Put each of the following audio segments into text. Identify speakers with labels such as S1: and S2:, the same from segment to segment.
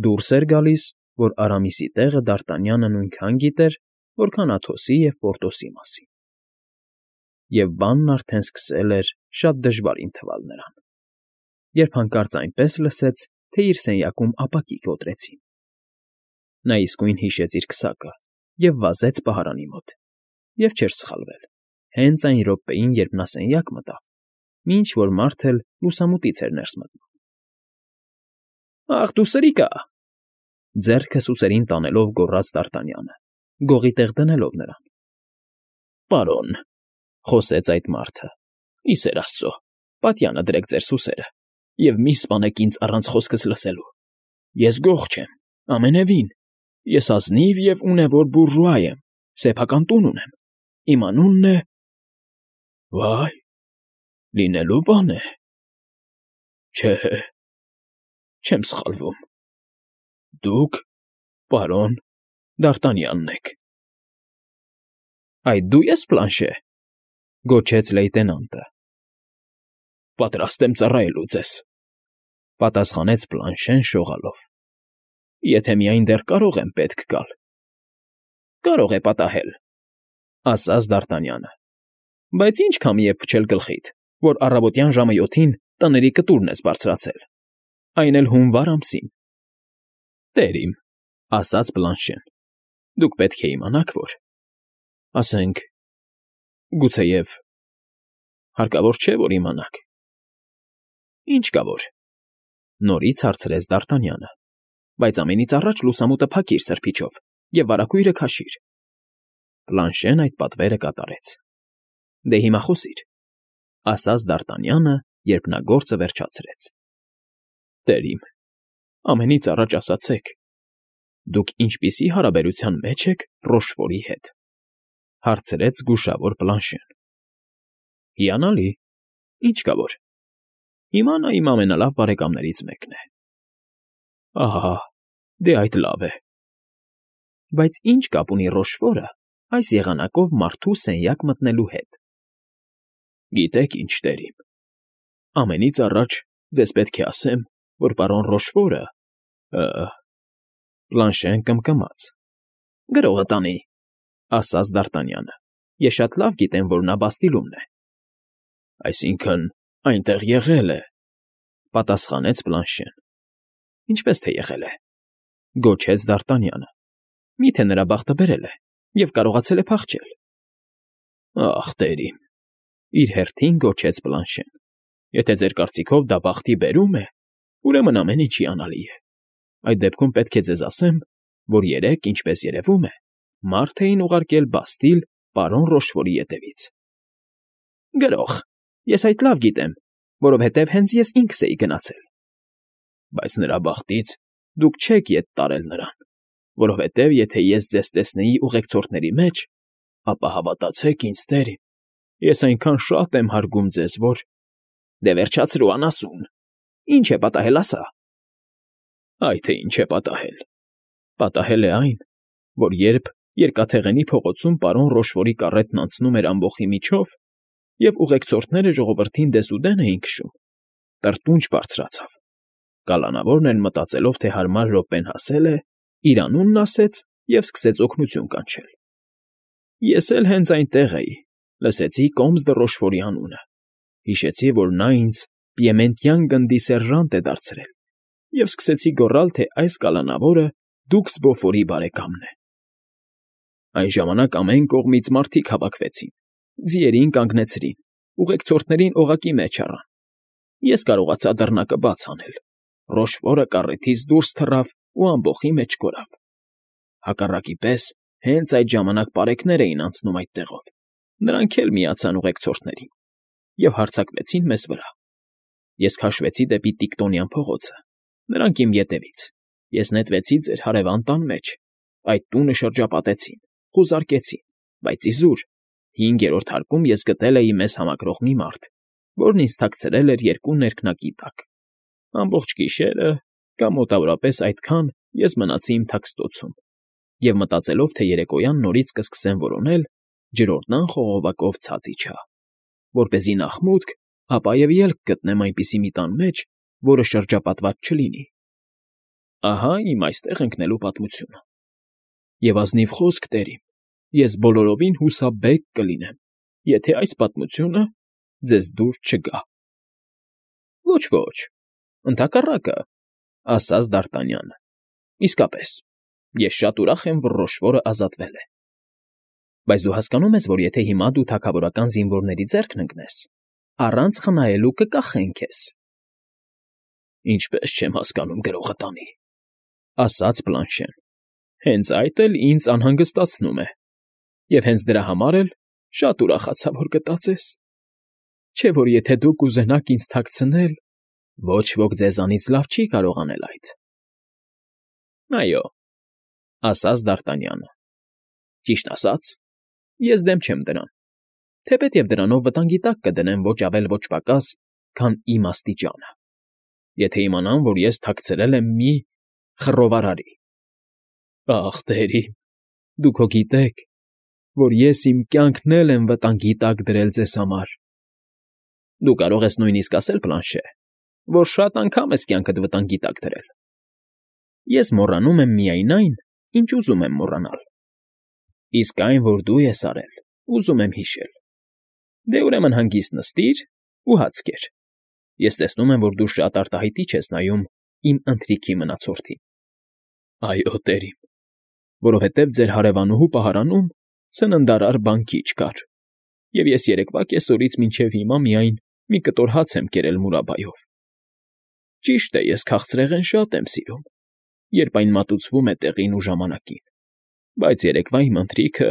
S1: Դուրս էր գալիս, որ Արամիսի տեղը Դարտանյանը նույնքան գիտեր, որքան Աթոսի և Պորտոսի մասին, և բանն արդեն սկսել էր շատ դժվարին թվալ նրան, երբ հանկարծ այնպես լսեց, թե իր սենյակում ապակի կոտրեցին. նա իսկույն հիշեց իր քսակը և վազեց պահարանի մոտ, և չէր սխալվել, հենց այն րոպեին, երբ նա սենյակ մտավ, մի ինչ֊որ մարդ էլ լուսամուտից էր ներս մտնում։ ֊ Ախ դու սրիկա,֊ ձեռքը սուսերին տանելով գոռաց Դարտանյանը, գողի տեղ դնելով նրան։ ֊ Պարոն,֊ խոսեց այդ մարդը,֊ ի սեր աստծո, պատյանը դրեք ձեր սուսերը և մի՛ սպանեք ինձ առանց խոսքս լսելու. ես գող չեմ, ամենևին, ես ազնիվ և ունևոր բուրժուա եմ, սեփական տուն ունեմ, իմ անունն է… Վա՜յ, լինելու բան է… Չէ, չեմ սխալվում… Դուք, պարոն, Դարտանյանն եք… ֊ Այդ դու ես, Պլանշե,֊ գոչեց լեյտենանտը։ ֊ Պատրաստ եմ ծառայելու ձեզ,֊ պատասխանեց Պլանշեն շողալով,֊ եթե միայն դեռ կարող եմ պետք գալ։ ֊ Կարող է պատահել,֊ ասաց Դարտանյանը,֊ բայց ի՞նչ քամի է փչել գլխիդ, որ առավոտյան ժամը 7-ին տների կտուրն ես բարձրացել, այն էլ հունվար ամսին։ ֊ Տեր իմ,֊ ասաց Պլանշեն,֊ դուք պետք է իմանաք, որ… ասենք, գուցեև… հարկավոր չէ, որ իմանաք։ ֊ Ինչ կա որ,֊ նորից հարցրեց Դարտանյանը,֊ բայց ամենից առաջ լուսամուտը փակիր սրբիչով և վարագույրը քաշիր։ Պլանշեն այդ պատվերը կատարեց։ ֊ Դե հիմա խոսիր,֊ ասաց Դարտանյանը, երբ նա գործը վերջացրեց։ ֊ Տեր իմ, ամենից առաջ ասացեք, դուք ինչպիսի՞ հարաբերության մեջ եք Ռոշֆորի հետ,֊ հարցրեց զգուշավոր Պլանշեն։ ֊ Հիանալի, ինչ կա որ… Հիմա նա իմ ամենալավ բարեկամներից մեկն է։ ֊ Ահա, դե այդ լավ է… Բայց ի՞նչ կապ ունի Ռոշֆորը այս եղանակով մարդու սենյակ մտնելու հետ։ ֊ Գիտեք ինչ, տեր իմ, ամենից առաջ ձեզ պետք է ասեմ, որ պարոն Ռոշֆորը… Պլանշեն կմկմաց։ ֊ Գրողը տանի,֊ ասաց Դարտանյանը,֊ ես շատ լավ գիտեմ, որ նա Բաստիլումն է։ ֊ Այսինքն՝ այնտեղ եղել է,֊ պատասխանեց Պլանշեն։ ֊ Ինչպես թե եղել է,֊ գոչեց Դարտանյանը,֊ մի՞թե նրա բախտը բերել է և կարողացել է փախչել։ ֊ Ախ, տեր իմ,֊ իր հերթին գոչեց Պլանշեն,֊ եթե ձեր կարծիքով դա բախտի բերում է, ուրեմն ամեն ինչ հիանալի է։ Այդ դեպքում պետք է ձեզ ասեմ, որ երեկ, ինչպես երևում է, մարդ էին ուղարկել Բաստիլ պարոն Ռոշֆորի ետևից։ ֊ Գրող, ես այդ լավ գիտեմ, որովհետև հենց ես ինքս էի գնացել։ ֊ Բայց նրա բախտից դուք չեք ետ տարել նրան, որովհետև եթե ես ձեզ տեսնեի ուղեկցորդների մեջ, ապա հավատացեք ինձ, տեր իմ, ես այնքան շատ եմ հարգում ձեզ, որ… ֊ Դե վերջացրու, անասուն… Ի՞նչ է պատահել, ասա… ֊ Այ թե ինչ է պատահել… Պատահել է այն, որ երբ Երկաթեղենի փողոցում պարոն Ռոշֆորի կառետն անցնում էր ամբոխի միջով, և ուղեկցորդները ժողովրդին դեսուդեն էին քշում, տրտունջ բարձրացավ, կալանավորն էլ մտածելով, թե հարմար րոպեն հասել է, իր անունն ասեց և սկսեց օգնություն կանչել։ Ես էլ հենց այնտեղ էի, լսեցի Կոմս դը Ռոշֆորի անունը, հիշեցի, որ նա ինձ պիեմենտյան գնդի սերժանտ է դարձրել և սկսեցի գոռալ, թե այս կալանավորը դուքս Բոֆորի բարեկամն է։ Այն ժամանակ ամեն կողմից մարդիկ հավաքվեցին, ձիերին կանգնեցրին, ուղեկցորդներին օղակի մեջ առան։ Ես կարողացա դռնակը բաց անել։ Ռոշֆորը կառետից դուրս թռավ ու ամբոխի մեջ կորավ։ Հակառակի պես հենց այդ ժամանակ պարեկներ էին անցնում այդ տեղով, նրանք էլ միացան ուղեկցորդներին և հարձակվեցին մեզ վրա։ Ես քաշվեցի դեպի Տիկտոնյան փողոցը, նրանք իմ ետևից, ես նետվեցի ձեր հարևան տան մեջ, այդ տունը շրջապատեցին, խուզարկեցին, բայց իզուր, 5-րդ հարկում ես գտել էի մեզ համակրող մի մարդ, որն ինձ թաքցրել էր 2 ներքնակի տակ։ Ամբողջ գիշերը կամ մոտավորապես այդքան ես մնացի իմ թաքստոցում և մտածելով, թե երեկոյան նորից կսկսեմ որոնել, ջրորդան խողովակով ցած իջա, որպեսզի նախ մուտք, ապա և ելք գտնեմ այնպիսի մի տան մեջ, որը շրջապատված չլինի։ Ահա իմ այստեղ ընկնելու պատմությունը։ Եվ ազնիվ խոսք, տերիմ, ես բոլորովին հուսաբեկ կլինեմ, եթե այս պատմությունը ձեզ դուր չգա։ Ոչ, ընդհակառակը, ասաց Դ'Արտանյանը։ Իսկապես, ես շատ ուրախ եմ, որ Ռոշֆորը ազատվել է։ Բայց դու հասկանում ես, որ եթե հիմա դու թագավորական զինվորների ձեռքն ընկնես, առանց խնայելու կկախեն քեզ։ Ինչպես չեմ հասկանում գրողը տանի, ասաց Բլանշեն։ Հենց այդ էլ ինձ անհանգստացնում է։ Եվ հենց դրա համար էլ շատ ուրախացա, որ գտածես։ Չէ՞ որ եթե դուք կուզենաք ինձ թաքցնել, ոչ ոք ձեզանից լավ չի կարող անել այդ։ Այո, ասաց Դ'Արտանյանը։ Ճիշտ ասած, ես դեմ չեմ դրան, թեպետև դրանով վտանգի տակ կդնեմ ոչ ավել ոչ պակաս, քան իմ աստիճանը, եթե իմանան, որ ես թաքցրել եմ մի խռովարարի։ Ախ, տերիմ, դուք հո գիտեք, որ ես իմ կյանքն էլ եմ վտանգի տակ դրել ձեզ համար։ Դու կարող ես նույնիսկ ասել, Բլանշե, որ շատ անգամ ես կյանքդ վտանգի տակ դրել։ Ես մոռանում եմ միայն այն, ինչ ուզում եմ մոռանալ։ Իսկ այն, որ դու ես արել, ուզում եմ հիշել։ Դե ուրեմն հանգիստ նստիր ու հաց կեր։ Ես տեսնում եմ, որ դու շատ արտահայտիչ ես նայում իմ ընթրիքի մնացորդին։ Այո, տերիմ, որովհետև ձեր հարևանուհու պահարանում սննդարար բան քիչ կար, և ես երեկվա կեսօրից մինչև հիմա միայն մի կտոր հաց եմ կերել մուրաբայով։ Ճիշտ է, ես քաղցրեղեն շատ եմ սիրում, երբ այն մատուցվում է տեղին ու ժամանակին, բայց երեկվա իմ ընթրիքը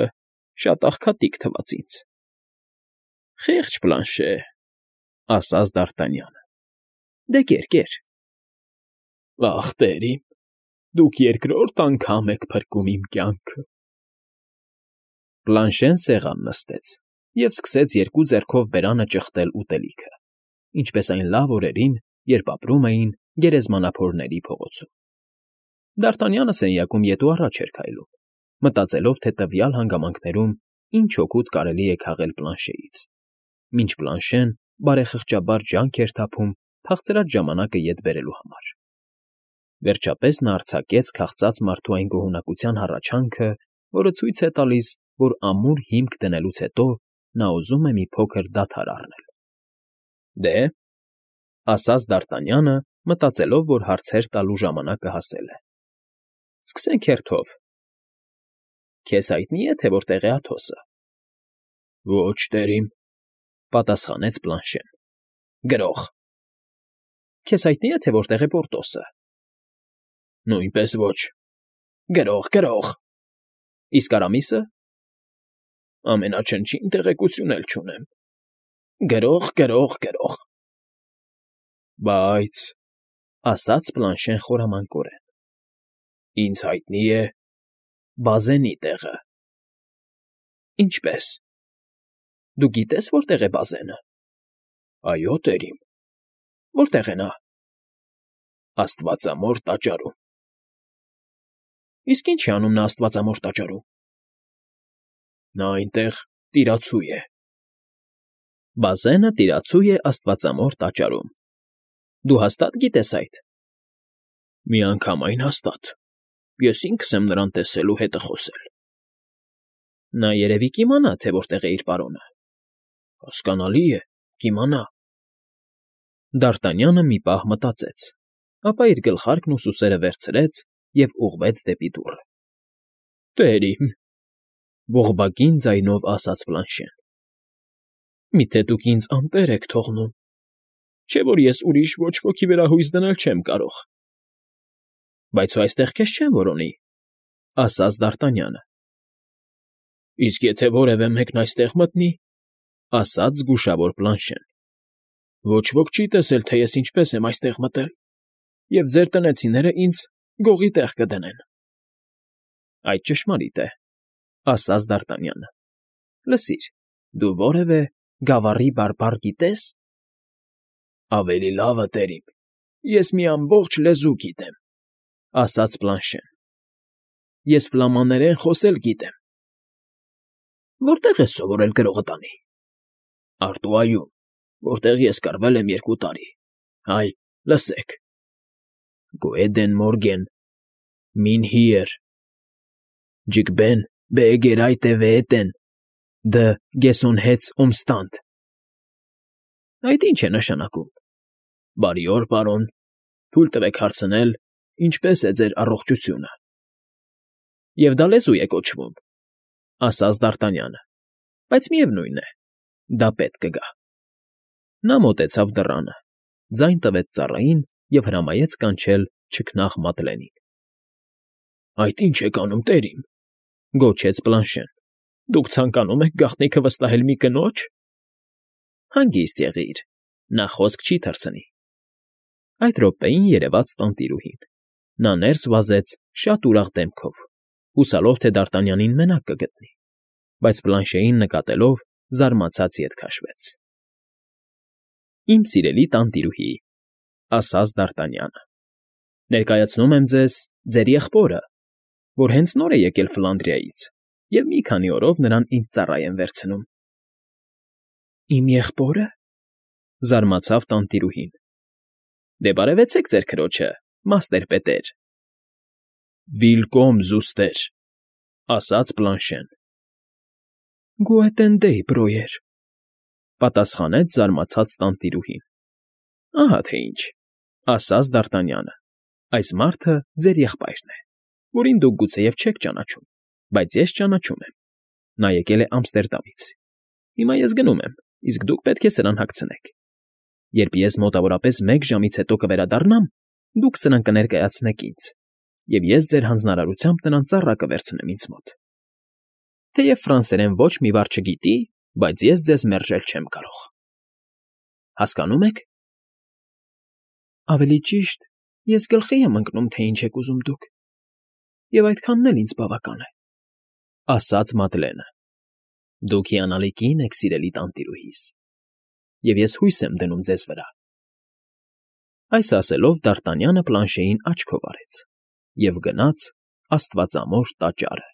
S1: շատ աղքատիկ թվաց ինձ։ Խեղճ Բլանշե, ասաց Դ'Արտանյանը։ Դե կեր։ Ախ, տերիմ, դուք երկրորդ անգամ եք փրկում իմ կյանքը։ Բլանշեն սեղան նստեց և սկսեց երկու ձեռքով բերանը ճխտել ուտելիքը, ինչպես այն լավ օրերին, երբ ապրում էին գերեզմանափորների փողոցում։ Դ'Արտանյանը սենյակում ետ ու առաջ էր քայլում, մտածելով, թե տվյալ հանգամանքներում ինչ օգուտ կարելի է քաղել Բլանշեից, մինչ Բլանշեն բարեխղճաբար ջանք էր թափում թախծրած ժամանակը ետ բերելու համար։ Վերջապես նա արձակեց քաղցած մարդու այն գոհունակության հառաչանքը, որը ցույց է տալիս, որ ամուր հիմք դնելուց հետո նա ուզում է մի փոքր դադար առնել։ Դե, ասաց Դ'Արտանյանը, մտածելով, որ հարցեր տալու ժամանակը հասել է։ Սկսենք հերթով։ Քեզ հայտնի է, թե որտեղ է Աթոսը։ Ոչ, տերիմ, պատասխանեց Բլանշեն։ Գրող։ Քեզ հայտնի է, թե որտեղ է Պորտոսը։ Նույնպես ոչ։ Գրող։ Իսկ Արամիսը։ Ամենաչնչին տեղեկություն էլ չունեմ։ Գրող։ Բայց, ասաց Բլանշեն խորամանկորեն, ինձ հայտնի է Բազենի տեղը։ Ինչպե՞ս։ Դու գիտես, որտեղ է Բազենը։ Այո, տերիմ։ Որտեղ է նա։ Աստվածամոր տաճարում։ Իսկ ինչ է անում նա Աստվածամոր տաճարում։ Նա այնտեղ տիրացու է։ Բազենը տիրացու է Աստվածամոր տաճարում։ Դու հաստատ գիտես այդ։ Միանգամայն հաստատ։ Ես ինքս եմ նրան տեսել ու հետը խոսել։ Նա երևի կիմանա, թե որտեղ է իր պարոնը։ Հասկանալի է, կիմանա։ Դ'Արտանյանը մի պահ մտածեց, ապա իր գլխարկն ու սուսերը վերցրեց և ուղղվեց դեպի դուռը։ Տերիմ, ողբագին ձայնով ասաց Բլանշեն։ Միթե դուք ինձ անտեր եք թողնում, չէ՞ որ ես ուրիշ ոչ ոքի վրա հույս դնել չեմ կարող։ Բայց հո այստեղ քեզ չեն որոնի, ասաց Դ'Արտանյանը։ Իսկ եթե որևէ մեկն այստեղ մտնի, ասաց զգուշավոր Բլանշեն, ոչ ոք չի տեսել, թե ես ինչպես եմ այստեղ մտել, և ձեր տնեցիները ինձ գողի տեղ կդնեն։ Այդ ճշմարիտ է, ասաց Դ'Արտանյանը։ Լսիր, դու որևէ գավառի բարբառ գիտե՞ս։ Ավելի լավը, տերիմ, ես մի ամբողջ լեզու գիտեմ, ասաց Բլանշեն։ Ես ֆլամաներեն խոսել գիտեմ։ Որտե՞ղ ես սովորել գրողը տանի։ Արտուայում, որտեղ ես կռվել եմ 2 տարի։ Այ, լսեք. Գոեդեն Մորգեն Մին հիեր։ Ջիկբեն բեգերայտ է վեետեն, դ գեսոն հեց օմստանտ։ Այդ ի՞նչ է նշանակում։ Բարի օր, պարոն, թույլ տվեք հարցնել, ինչպե՞ս է ձեր առողջությունը։ Եվ դա լեզու է կոչվում, ասաց Դարտանյանը, բայց միևնույն է, դա պետք կգա։ Նա մոտեցավ դռանը, ձայն տվեց ծառային և հրամայեց կանչել չքնաղ Մատլենին։ Այդ ի՞նչ եք անում, տերիմ,֊ գոչեց Պլանշեն։ Դուք ցանկանում եք գաղտնիքը վստահել մի կնո՞ջ։ Հանգիստ եղիր, նա խոսք չի թռցնի։ Այդ րոպեին երևաց տանտիրուհին։ Նա ներս վազեց շատ ուրախ դեմքով, հուսալով, թե Դարտանյանին մենակ կգտնի, բայց Պլանշեին նկատելով, զարմացած ետ քաշվեց։ Իմ սիրելի տանտիրուհի,֊ ասաց Դարտանյանը,֊ ներկայացնում եմ ձեզ ձեր եղբորը, որ հենց նոր է եկել Ֆլանդրիայից և մի քանի օրով նրան ինձ ծառա եմ վերցնում։ Իմ եղբո՞րը,֊ զարմացավ տանտիրուհին։ Դե բարևեցեք ձեր քրոջը, մաստեր պետեր։ Վիլկոմ զուստեր,֊ ասաց Պլանշեն։ Գուետեն դեյ, բրոյեր,֊ պատասխանեց զարմացած տանտիրուհին։ Ահա թե ինչ,֊ ասաց Դարտանյանը,֊ այս մարդը ձեր եղբայրն է, որին դուք գուցեև չեք ճանաչում, բայց ես ճանաչում եմ. նա եկել է Ամստերդամից։ Հիմա ես գնում եմ, իսկ դուք պետք է սրան հագցնեք։ Երբ ես մոտավորապես 1 ժամից հետո կվերադառնամ, դուք սրան կներկայացնեք ինձ, և ես ձեր հանձնարարությամբ նրան ծառա կվերցնեմ ինձ մոտ։ Թեև ֆրանսերեն ոչ մի բառ չգիտի, բայց ես ձեզ մերժել չեմ կարող։ Հասկանո՞ւմ եք։ Ավելի ճիշտ, ես գլխի եմ ընկնում, թե ինչ եք ուզում դուք, և այդքանն էլ ինձ բավական է,֊ ասաց Մատլենը։ Դուք հիանալի կին եք, սիրելի տանտիրուհիս, և ես հույս եմ դնում ձեզ վրա։ Այս ասելով Դարտանյանը Պլանշեին աչքով արեց և գնաց աստվածամոր տաճարը։